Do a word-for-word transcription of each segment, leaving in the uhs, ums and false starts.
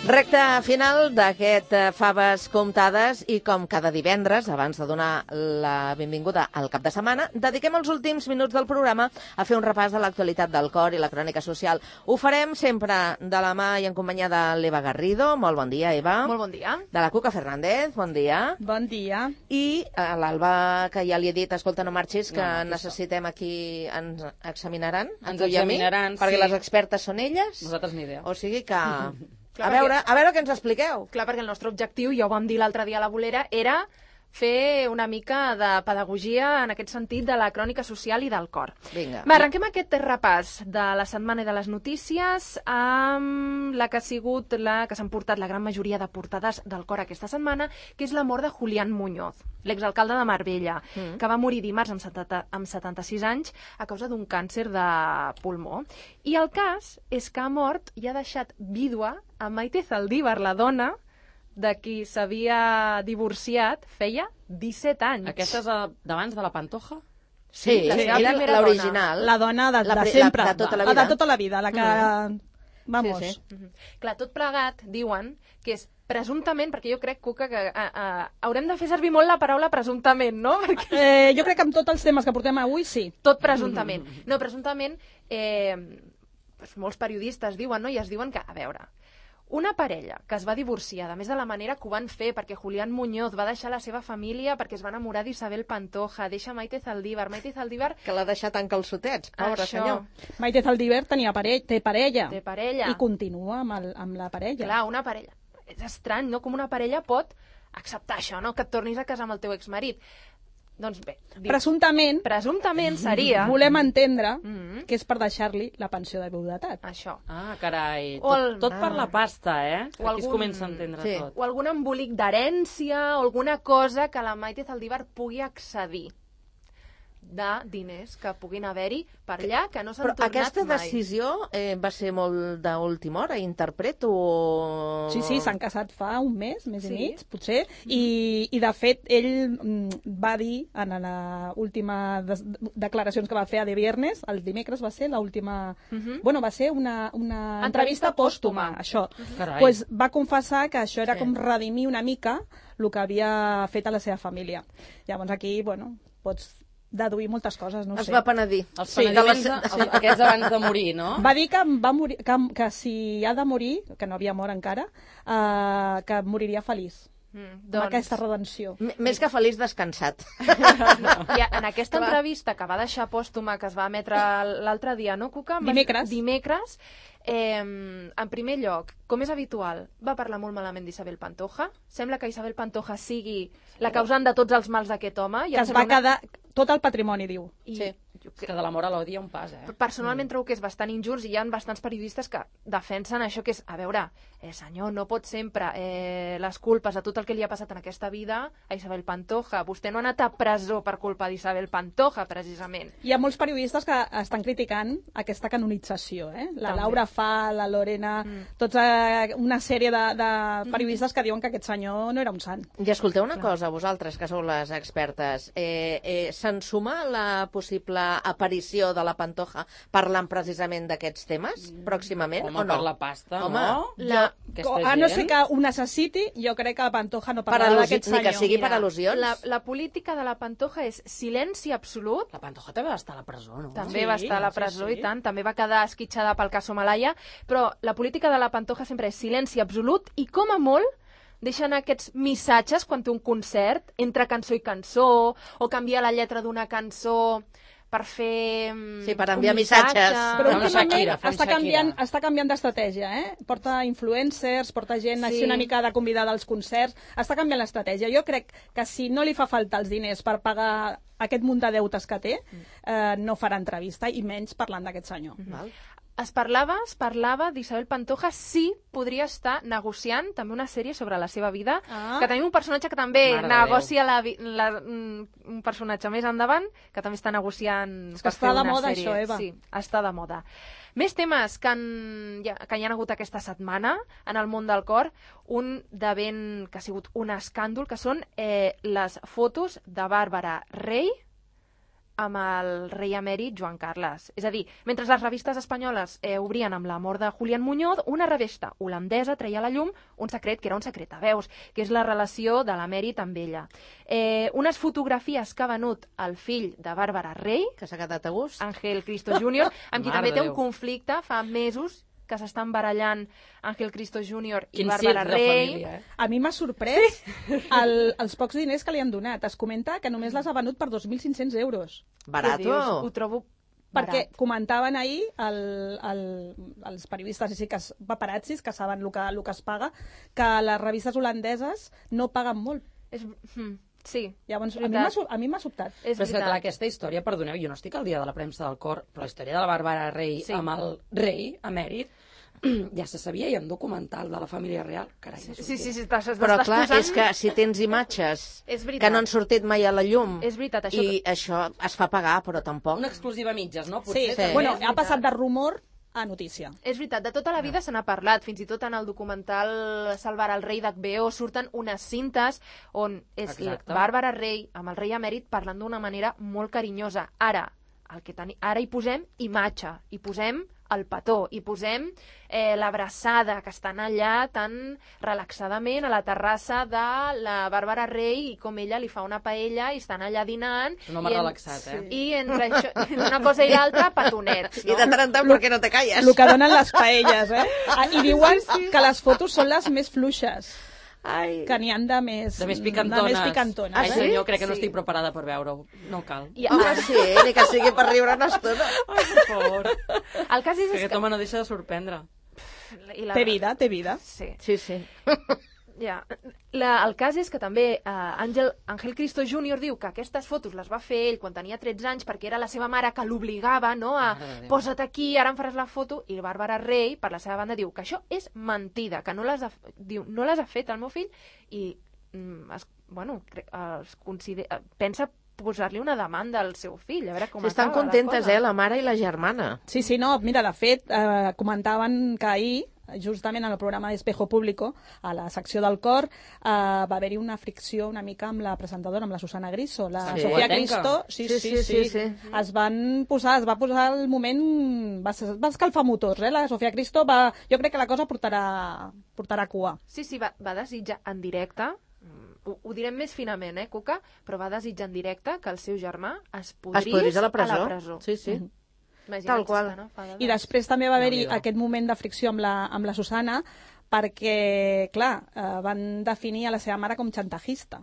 Recte final d'aquest Faves Comptades i com cada divendres, abans de donar la benvinguda al cap de setmana, dediquem els últims minuts del programa a fer un repàs de l'actualitat del cor i la crònica social. Ho farem sempre de la mà i en companyia de l'Eva Garrido. Molt bon dia, Eva. Molt bon dia. De la Cuca Fernández, bon dia. Bon dia. I a l'Alba, que ja li he dit, escolta, no marxis, que No, no, necessitem aquí, ens examinaran. a Ens tu i a mi, examinaran, perquè sí. les expertes són elles. Nosaltres ni idea. O sigui que... Clar, a veure, perquè- a veure què ens expliqueu. Clar, perquè el nostre objectiu, ja ho vam dir l'altre dia a la bolera, era fer una mica de pedagogia en aquest sentit de la crònica social i del cor. Vinga. Va, arrenquem aquest repàs de la setmana i de les notícies amb la que ha sigut la que s'han portat la gran majoria de portades del cor aquesta setmana, que és la mort de Julián Muñoz, l'exalcalde de Marbella, Mm. que va morir dimarts amb, setanta, amb setanta-sis anys a causa d'un càncer de pulmó. I el cas és que ha mort i ha deixat vídua a Maite Zaldívar, la dona de qui s'havia divorciat feia disset anys. Aquesta és a- d'abans de la Pantoja? Sí, la sí, seva era primera l'original. La dona de, La de pri- sempre. la- de tota la La vida. de tota la vida, la que... Mm. Vamos. Sí, sí. Mhm. Clar, tot plegat, diuen, que és presumptament, perquè jo crec, Cuca, que a, a, haurem de fer servir molt la paraula presumptament, no? Perquè Eh, jo crec que amb tots els temes que portem avui, sí. tot presumptament. No, presumptament, eh, doncs molts periodistes diuen, no? I es diuen que, a veure, una parella que es va divorciar, a més de la manera que ho van fer, perquè Julián Muñoz va deixar la seva família perquè es va enamorar d'Isabel Pantoja, deixa Maite Zaldívar. Maite Zaldívar Que l'ha deixat en calçotets, pobre Això. senyor. Maite Zaldívar tenia pare... té parella. té parella. I continua amb, el, amb la parella. Clar, una parella. És estrany, no? Com una parella pot acceptar això, no? Que et tornis a casar amb el teu exmarit. Doncs bé, dic, Presumptament, presumptament seria volem entendre Mhm. que és per deixar-li la pensió de viudetat. això. Ah, carai. O el- Tot, tot per la pasta, eh? O Aquí es algun- comença a entendre Sí. tot. O algun embolic d'herència o alguna cosa que la Maite Zaldívar pugui accedir de diners que puguin haver-hi per allà, que no s'han Però tornat aquesta mai. decisió eh, va ser molt d'última hora, interpreto, o... Sí, sí, s'han casat fa un mes, mes Sí. i mig, potser, i, i de fet ell mm, va dir en la última des declaracions que va fer a De Viernes, el dimecres va ser l'última... Mhm. Bueno, va ser una, una Entrevista entrevista pòstuma, pòstuma. això. Carai. Pues va confessar que això era Sí. com redimir una mica el que havia fet a la seva família. Llavors aquí, bueno, pots deduir moltes coses, no Es sé. va penedir. Els Sí, de penediments, la- els, aquests abans de morir, no? Va dir que, va morir, que, que si ha de morir, que no havia mort encara, uh, que moriria feliç. Mm, Doncs... doncs, Amb aquesta redenció. M- Més que feliç descansat. i en aquesta entrevista que va deixar pòstuma, que es va emetre l'altre dia, no, Cuca? Dimecres. Dimecres. Eh, en primer lloc, com és habitual, va parlar molt malament d'Isabel Pantoja. Sembla que Isabel Pantoja sigui la causant de tots els mals d'aquest home. I Que em es va sembla una- quedar tot el patrimoni, diu. I Sí. jo És que de l'amor a l'odi hi ha un pas, eh? personalment trobo que és bastant injust i hi ha bastants periodistes que defensen això que és, a veure, eh, senyor, no pot sempre eh, les culpes de tot el que li ha passat en aquesta vida a Isabel Pantoja. Vostè no ha anat a presó per culpa d'Isabel Pantoja, precisament. Hi ha molts periodistes que estan criticant aquesta canonització, eh? La També. Laura Fa, la Lorena, Mm. tots eh, una sèrie de, de periodistes que diuen que aquest senyor no era un sant. I escolteu una cosa, vosaltres, que sou les expertes. Eh, eh, Se'n suma la possible aparició de la Pantoja parlant precisament d'aquests temes, pròximament, Home, o no? per la pasta, Home, no? la- Aquesta A no gent- ser que ho necessiti, jo crec que la Pantoja no Per parlarà al·lusi- d'aquest ni que senyor. sigui per al·lusions. La, la política de la Pantoja és silenci absolut. La Pantoja també va estar a la presó, no? També Sí, va estar a la sí, presó sí. i tant, també va quedar esquitxada pel cas Somalaya, però la política de la Pantoja sempre és silenci absolut i com a molt deixen aquests missatges quan té un concert, entre cançó i cançó, o canvia la lletra d'una cançó per fer mm, Sí, per un enviar missatge. missatges. Però Fa una últimament Shakira, fa un està Shakira. canviant, està canviant d'estratègia, eh? Porta influencers, porta gent Sí. així una mica de convidada als concerts, està canviant l'estratègia. Jo crec que si no li fa falta els diners per pagar aquest munt de deutes que té, eh, no farà entrevista, i menys parlant d'aquest senyor. Val. Es parlava, es parlava d'Isabel Pantoja si podria estar negociant també una sèrie sobre la seva vida, Ah. que tenim un personatge que també Mare de negocia la, vi- la, mm, un personatge més endavant, que també està negociant És que per està fer de una moda sèrie. això, Eva. Sí, està de moda. Més temes que, han, ja, que hi ha hagut aquesta setmana en el món del cor, un de ben que ha sigut un escàndol, que són eh, les fotos de Bàrbara Rey amb el rei emèrit Joan Carles. És a dir, mentre les revistes espanyoles eh, obrien amb la mort de Julián Muñoz, una revista holandesa treia a la llum un secret que era un secret a veus, que és la relació de l'emèrit amb ella. Eh, unes fotografies que ha venut el fill de Bàrbara Rey, Que s'ha quedat a gust. Ángel Cristo júnior, amb qui Mare també de té un Déu. conflicte fa mesos que s'estan barallant Ángel Cristo júnior i Quin Bàrbara circ de Rey. família, eh? A mi m'ha sorprès el, els pocs diners que li han donat. Es comenta que només les ha venut per dos mil cinc-cents euros. Què Barato. dius? Ho trobo Perquè barat. comentaven ahir el, el, els periodistes, i sí que es, paparazzis, que saben el que, el que es paga, que les revistes holandeses no paguen molt. És... hm, Sí, Llavors, a mi veritat. m'ha so- a mi m'ha sobtat. és Però és que, veritat. clar, aquesta història, perdoneu, jo no estic al dia de la premsa del cor, però la història de la Bàrbara Rey Sí. amb el rei emèrit ja se sabia, hi ha un documental de la família real. Carai, Sí, sí, sí, sí estàs, Però estàs clar, posant... és que si tens imatges És veritat. que no han sortit mai a la llum És veritat, això i això es fa pagar, però tampoc. Una exclusiva a mitges, no? Sí, Potser, sí. també. Bueno, és ha passat veritat. de rumor a notícia. És veritat, de tota la vida se n'ha parlat, fins i tot en el documental Salvar el rei d'H B O surten unes cintes on és Exacte. Bàrbara Rey amb el rei emèrit parlant d'una manera molt carinyosa. Ara, el que teni... Ara hi posem imatge, hi posem el petó, hi posem eh, l'abraçada, que estan allà tan relaxadament a la terrassa de la Bàrbara Rey i com ella li fa una paella i estan allà dinant. Un home i en- relaxat, eh? I entre això, una cosa i l'altra, petonets, I no? de tant en tant, per què no te calles? El que donen les paelles, eh? Ah, I diuen que les fotos són les més fluixes, Ai. que n'hi han de més... De més picantones. De més picantones. Ai, eh? senyor, crec que no Sí. estic preparada per veure-ho. No cal. I Home, sí, ni que sigui per riure una estona. Ai, per favor. el cas és, Que és aquest home no deixa de sorprendre. I la... Té vida, té vida. Sí, Sí, sí. ja. La, el cas és que també uh, Àngel, Ángel Cristo júnior diu que aquestes fotos les va fer ell quan tenia tretze anys perquè era la seva mare que l'obligava, no, a Mare de Déu. posa't aquí, ara em faràs la foto, i Bàrbara Rey, per la seva banda, diu que això és mentida, que no les ha, diu, no les ha fet el meu fill i mm, es, bueno, cre- es considera, pensa posar-li una demanda al seu fill, a veure com Sí, estan acaba contentes, la cosa. eh, la mare i la germana. Sí, sí, no, mira, de fet, eh, comentaven que ahir, justament en el programa d'Espejo Público, a la secció del cor, eh, va haver-hi una fricció una mica amb la presentadora, amb la Susana Griso, la Sí. Sofia Guatenca. Cristo. Sí Sí, sí sí, sí, sí, sí. Es van posar, es va posar el moment... Va, ser- va escalfar motors, eh? La Sofia Cristo va... Jo crec que la cosa portarà, portarà cua. Sí, sí, va, va desitjar en directe, mm, ho, ho direm més finament, eh, Cuca, però va desitjar en directe que el seu germà es podrís, Es podrís a la presó. A la presó. Sí, sí. Imagina't Tal si qual. està, no? Fa de- I després també va haver-hi Déu-n'hi-do. aquest moment de fricció amb la, amb la Susana perquè, clar, eh, van definir a la seva mare com xantajista.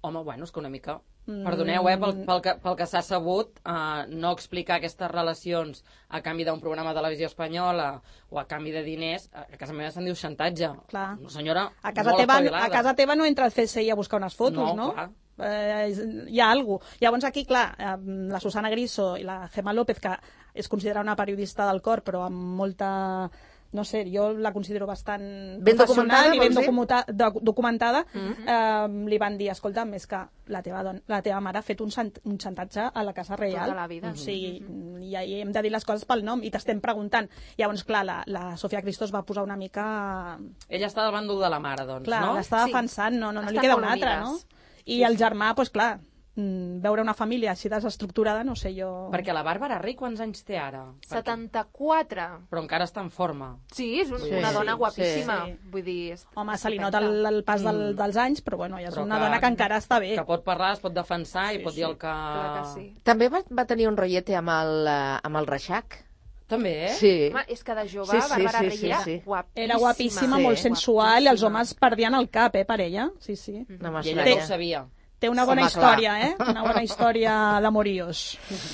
Home, bueno, és que una mica... Mm. Perdoneu, eh, pel, pel que, pel que s'ha sabut, eh, no explicar aquestes relacions a canvi d'un programa de televisió espanyola o a canvi de diners, a casa meva se'n diu xantatge. Clar. Una senyora A casa, molt teva, espavilada. a casa teva no entra el C S I a buscar unes fotos, no? No, clar. Eh, hi ha alguna cosa. Llavors aquí, clar, eh, la Susana Griso i la Gemma López, que és considerada una periodista del cor, però amb molta... No sé, jo la considero bastant Ben documentada, professional i ben vols dir? documentada, doc- documentada eh, li van dir, escolta, més que la teva, don la teva mare ha fet un, sant un xantatge a la Casa Reial. Tota la vida. O sigui, i ahí hem de dir les coses pel nom i t'estem preguntant. Llavors, clar, la, la Sofia Cristo es va posar una mica... Ella està del bàndol de la mare, doncs, Clar, no? l'està Sí. defensant, no, no, no li Estan queda molt una altra, no? unides. I el germà, doncs clar, mm, veure una família així desestructurada, no sé jo... Perquè la Bàrbara Rey quants anys té ara? Perquè- setanta-quatre. Però encara està en forma. Sí, és un, Sí, una sí, dona sí. guapíssima. Sí. Vull dir... És Home, se li estupenda. nota el, el pas del, dels anys, però bueno, ja és Però una que- dona que encara està bé. Que pot parlar, es pot defensar i Sí, pot dir sí. el que... Clar que sí. També va, va tenir un rotllete amb el, eh, amb el Reixac. També, eh? Sí. Home, és que de jove, Sí, sí, Bàrbara sí, Rey sí, era sí. guapíssima. Era guapíssima, Sí. molt sensual, i els Guapíssima. homes perdien el cap, eh, per ella. Sí, sí. No I ella no m'estranya. ho sabia. Té una bona Home, història, eh? Una bona història d'amoríos.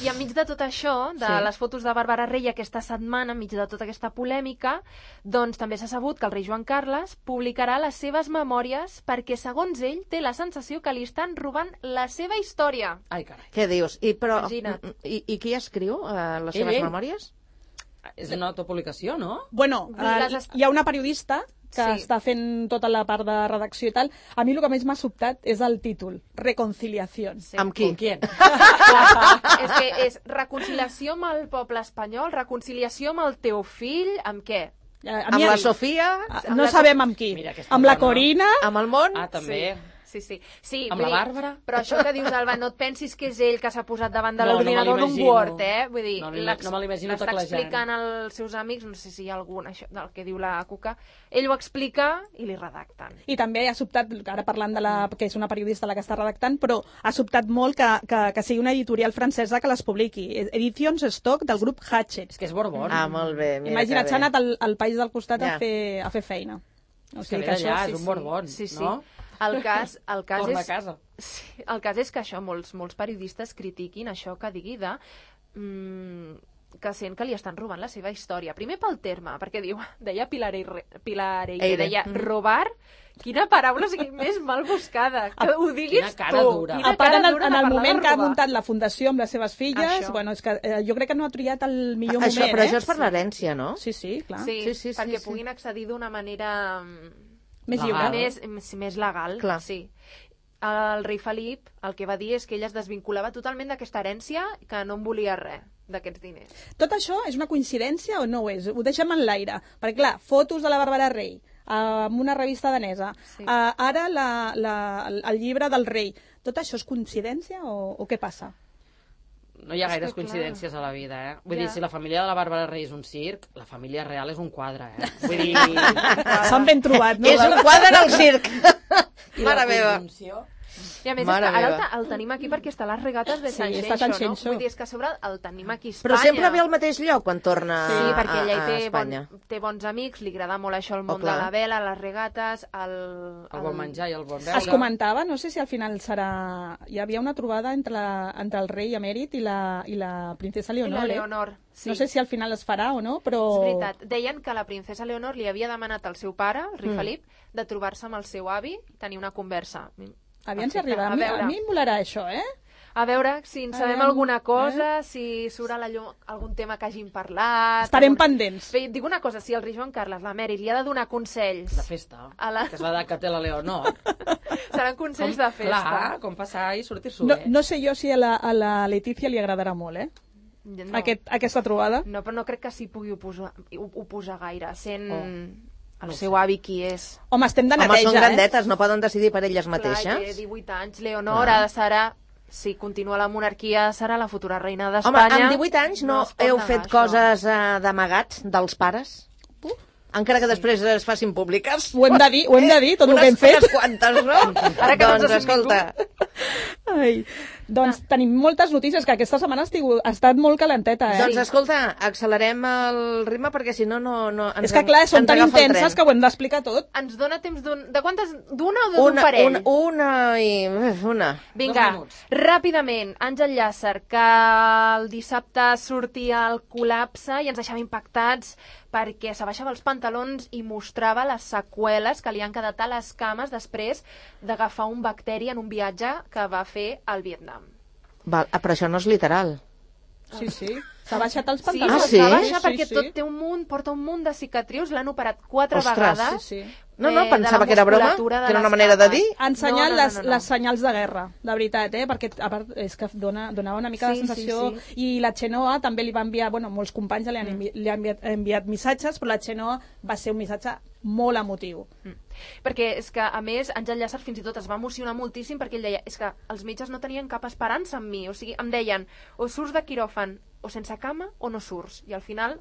I enmig de tot això, de Sí. les fotos de Bàrbara Rey aquesta setmana, enmig de tota aquesta polèmica, doncs també s'ha sabut que el rei Joan Carles publicarà les seves memòries perquè, segons ell, té la sensació que li estan robant la seva història. Ai, carai. Què dius? I, però, Imagina't. i, i qui escriu eh, les Ell, seves ell. memòries? És una autopublicació, no? Bueno, Vull dir, eh, les est- hi ha una periodista que Sí. està fent tota la part de redacció i tal. A mi el que més m'ha sobtat és el títol, Reconciliación. Sí. Amb qui? Con quién? és que és reconciliació amb el poble espanyol, reconciliació amb el teu fill, amb què? Eh, a Amb mi- la Sofia? Ah, no sabem amb qui. Mira aquesta Amb la dona. Corina, Amb el món? Ah, també. Sí, sí. sí Amb vull la dir, Bàrbara? Però això que dius, Alba, no et pensis que és ell que s'ha posat davant de No, no me l'ordinador d'un l'imagino. Word, eh? Vull dir, No me- l'ex- no me l'imagino l'està teclejant. explicant als seus amics, no sé si hi ha algun, això del que diu la Cuca, ell ho explica i li redacten. I també ha sobtat, ara parlant de la, que és una periodista la que està redactant, però ha sobtat molt que, que, que sigui una editorial francesa que les publiqui. Edicions Stock del grup Hachette. És que és Borbón. Ah, molt bé. Mira Imagina't, que s'ha bé. anat al, al país del costat Ja. a, fer, a fer feina. O És que sigui ve que això... d'allà, sí, és un sí. Borbón, Sí, sí. no? El cas, el cas Torna és... a casa. Sí, el cas és que això, molts, molts periodistes critiquin això que digui de... Mm, que sent que li estan robant la seva història. Primer pel terme, perquè diu, deia Pilar Eire, Pilar Eire, Eire. deia Mm. robar, quina paraula o sigui, més mal buscada, que ho diguis Quina cara tu. dura. Quina A part, cara en el, dura en de el parlar moment de que ha robar. muntat la fundació amb les seves filles, Això. bueno, és que eh, jo crec que no ha triat el millor Això, moment, però eh? això és per l'herència, no? Sí, sí, clar. Sí, Sí, sí, sí, perquè sí. puguin accedir d'una manera mm, Més Legal. lliure. més, més, més legal. Clar. Sí. El rei Felip el que va dir és que ell es desvinculava totalment d'aquesta herència, que no en volia res d'aquests diners. Tot això és una coincidència o no ho és? Ho deixem en l'aire. Perquè, clar, fotos de la Bàrbara Rey amb una revista danesa, Sí. uh, ara la, la, el llibre del rei. Tot això és coincidència o, o què passa? No hi ha És gaires que, clar. coincidències a la vida, eh? Vull Ja. dir, si la família de la Bàrbara Rey és un circ, la família real és un quadre, eh? Vull dir... S'han ben trobat, no? És un quadre al circ. I Mare la meva. conjunció... I a més, Mare és que ara el, meva. te- el tenim aquí perquè està a les regates de Sí, Sant està a Xenxo, Sant no? Xenxo. Vull dir, és que a sobre el tenim aquí a Espanya. Però sempre ve al mateix lloc quan torna Sí, perquè a, ella hi a té, Espanya. bon, té bons amics, li agrada molt això, el món Oh, clar. de la vela, les regates, el... El bon menjar i el bon beure. Es comentava, no sé si al final serà... Hi havia una trobada entre, la, entre el rei emèrit i la, i la princesa I Leonor, la eh? Leonor, sí. No sé si al final es farà o no, però... És veritat. Deien que la princesa Leonor li havia demanat al seu pare, el rei Mm. Felip, de trobar-se amb el seu avi i tenir una conversa. Aviam si Perfecte. arriba. A A mi, veure. a mi em volarà això, eh? A veure si en sabem Aviam, alguna cosa, si surt a la llum algun tema que hagin parlat... Estarem algun- pendents. Bé, et dic una cosa, si el rei Joan Carles, l'emèrit, li ha de donar consells... De festa, A la- que és l'edat que té la Leonor. Seran consells de festa. Clar, com passar i sortir-s'ho No, bé. no sé jo si a la, a la Letícia li agradarà molt, eh? No. Aquest, aquesta trobada. No, però no crec que s'hi pugui oposar, oposar gaire, sent Oh. el No seu sé. avi qui és. Home, estem de Home, neteja, són eh? grandetes, no poden decidir per elles Clar, té mateixes. divuit anys, Leonor Clar. ha de serà... Si continua la monarquia, serà la futura reina Home, d'Espanya. amb divuit anys no, es pot heu negar fet això. coses uh, d'amagats dels pares? Uf. Encara que després es facin públiques. Ho hem de dir, ho hem de dir, tot el Unes- que hem fet. Unes quantes, no? Ara que no ens doncs, ha sentit escolta, Ai. Doncs tenim moltes notícies, que aquesta setmana ha, estigut, ha estat molt calenteta, eh? doncs escolta, accelerem el ritme perquè si no, no, no ens, És que clar, són ens tan agafa el intenses tren. que ho hem d'explicar tot. Ens dona temps d'un... De quantes? D'una o d'un Una, parell? una, una i... uf, Una. Vinga, Dos minuts. ràpidament, Àngel Llàcer, que el dissabte sortia el col·lapse i ens deixava impactats perquè s'abaixava els pantalons i mostrava les seqüeles que li han quedat a les cames després d'agafar un bacteri en un viatge que va fer al Vietnam. Val, ah, però això no és literal. Sí, sí. S'ha baixat els Sí, pantalons. Ah, sí? està baixa Sí, perquè sí. tot té un munt, porta un munt de cicatrius, l'han operat quatre Ostres, vegades. sí, sí. No, no, eh, de pensava la que era broma, musculatura de que era una les manera de cames. dir. Ha ensenyat No, no, no, les, no, no. les senyals de guerra, de veritat, eh? Perquè a part és que dona, donava una mica Sí, de sensació. sí, I la Xenoa també li va enviar, bueno, molts companys li han, envi li han enviat, enviat missatges, però la Xenoa va ser un missatge molt emotiu. Mm. Perquè és que, a més, Àngel Llàcer fins i tot es va emocionar moltíssim perquè ell deia, és que els metges no tenien cap esperança en mi, o sigui, em deien, o surts de quiròfan o sense cama o no surts. I al final,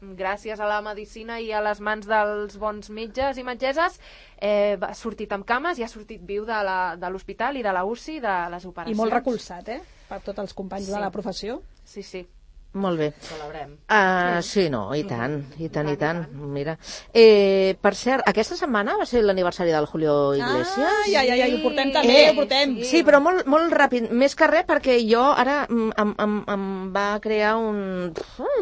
gràcies a la medicina i a les mans dels bons metges i metgesses, eh, ha sortit amb cames i ha sortit viu de la- de l'hospital i de la U C I, de les operacions. I molt recolzat, eh? Per tots els companys Sí. de la professió. Sí, sí. Molt bé. Celebrem. Uh, sí, no, i tant, i tant, i tant. Mira. Eh, per cert, aquesta setmana va ser l'aniversari del Julio Iglesias. Ah, ja, ja, ja, i ho portem també, Eh, ho portem. Sí, però molt, molt ràpid, més que res perquè jo ara mm, em, em, em va crear un...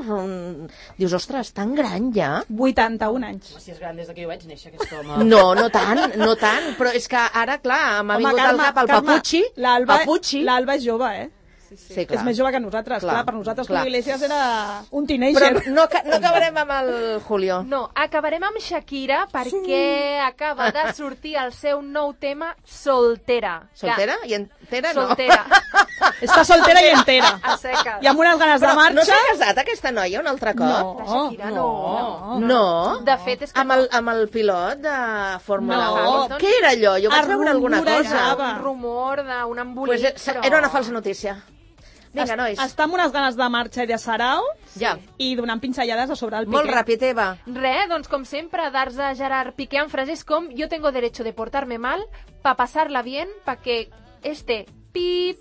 un... Dius, ostres, tan gran ja? vuitanta-un anys. Si és gran des que jo vaig néixer, aquest home. No, no tant, no tant, però és que ara, clar, m'ha vingut al cap el Carme, Papucci, l'Alba Papucci, l'Alba és jove, eh? sí, sí. Sí, clar. És més jove que nosaltres, clar. Clar, Per nosaltres clar. Julio Iglesias era un Però teenager. no, ca- no acabarem amb el Julio. No, acabarem amb Shakira perquè acaba de sortir el seu nou tema, Soltera. Que- Soltera? I entera no? Soltera. Està soltera i entera. A seques. I amb unes ganes de Però marxa. no s'ha casat aquesta noia un altre cop? No. De Shakira, no. no. No? De fet, és que Amb el, amb el pilot de Fórmula No. un? Què era allò? Jo vaig Es veure alguna cosa. rumorejava. un rumor d'un embolic, Pues eh, però... era una falsa notícia. Vinga, nois. Està amb unes ganes de marxa i de sarau Ja. i donant pinzellades a sobre el Molt Piqué. ràpid, Eva. Res, doncs com sempre, dar-se a Gerard Piqué amb frases com yo tengo derecho de portarme mal pa pasarla bien, pa que este pip,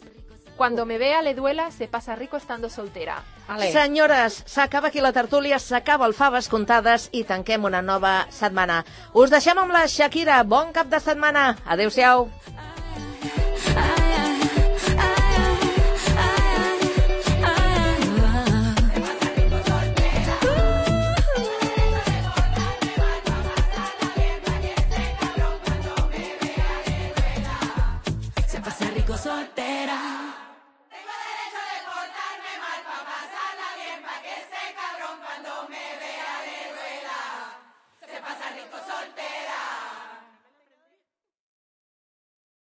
cuando me vea le duela, se pasa rico estando soltera. Ale. Senyores, s'acaba aquí la tertúlia, s'acaba el Faves Comptades i tanquem una nova setmana. Us deixem amb la Shakira. Bon cap de setmana. Adéu-siau.